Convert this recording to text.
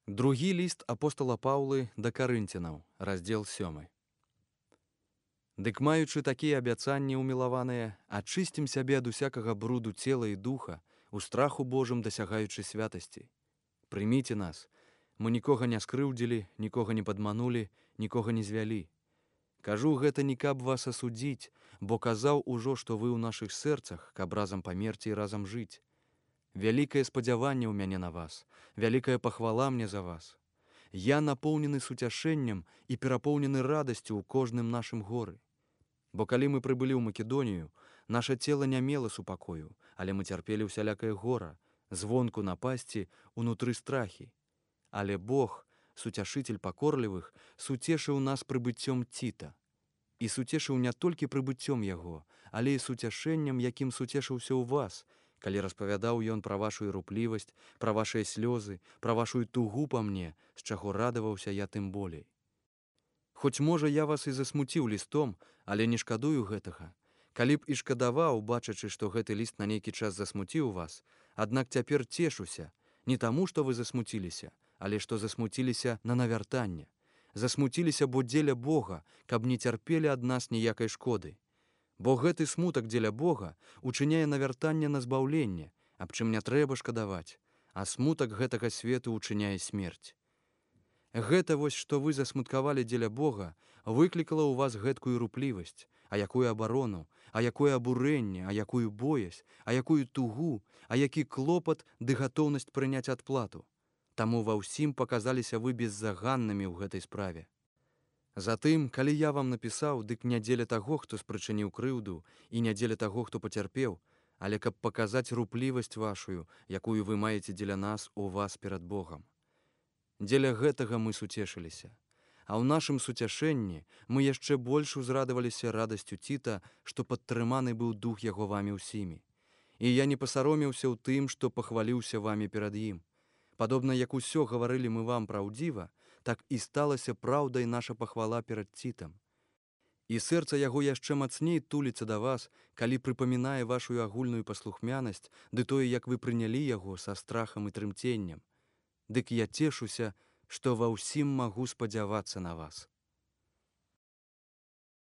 Другі ліст апостала Паўлы да карынцянаў, раздзел 7. Дык маючы такія абяцанні ўмілаваныя, ачысцім сябе ад усякага бруду цела і духа, у страху Божым дасягаючы святасці. Прыміце нас, мы нікога не скрыўдзілі, нікога не падманулі, нікога не звялі. Кажу гэта не каб вас асудзіць, бо казаў ужо, што вы ў нашых сэрцах, каб разам памерці і разам жыць. Вялікае спадзяванне ў мяне на вас, вялікая пахвала мне за вас. Я напоўнены суцяшэннем і перапоўнены радасцю ў кожным нашым горы. Бо калі мы прыбылі ў Македонію, наша цела не мела супакою, але мы цярпелі ўсялякае гора, звонку напасці, унутры страхі. Але Бог, суцяшыцель пакорлівых, суцешыў нас прыбыццём Ціта. І суцешыў не толькі прыбыццём яго, але і суцяшэннем, якім суцешыўся ў вас, калі распавядаў ён пра вашу іруплівасць, пра вашыя слёзы, пра вашу тугу па мне, з чаго радаваўся я тым болей. Хоць, можа, я вас і засмуціў лістом, але не шкадую гэтага. Калі б і шкадаваў, бачачы, што гэты ліст на нейкі час засмуціў вас, аднак цяпер цешуся, не таму, што вы засмуціліся, але што засмуціліся на навяртанне. Засмуціліся, бо дзеля Бога, каб не цярпелі ад нас ніякай шкоды. Бо гэты смутак дзеля Бога учыняе навяртанне на збаўленне, аб чым не трэба шкадаваць, а смутак гэтага свету учыняе смерць. Гэта вось, што вы засмуткавалі дзеля Бога, выклікала ў вас гэткую руплівасць, а якую абарону, а якое абурэнне, а якую боязь, а якую тугу, а які клопат ды гатоўнасць прыняць адплату. Таму ва ўсім паказаліся вы беззаганнымі ў гэтай справе. Затым, калі я вам напісаў, дык не дзеля таго, хто спрычыніў крыўду, і не дзеля таго, хто пацярпеў, але каб паказаць руплівасць вашую, якую вы маеце дзеля нас у вас перад Богам. Дзеля гэтага мы суцешыліся. А ў нашым суцяшэнні мы яшчэ больш узрадаваліся радасцю Ціта, што падтрыманы быў дух яго вамі ўсімі. І я не пасаромеўся ў тым, што пахваліўся вамі перад ім. Падобна, як усё гаварылі мы вам праўдзіва, так і сталася праўдай наша пахвала перад Цітам. І сэрца яго яшчэ мацней туліцца да вас, калі прыпамінае вашу агульную паслухмянасць, ды тое, як вы прынялі яго са страхам і трымценнем. Дык я цешуся, што ва ўсім магу спадзявацца на вас.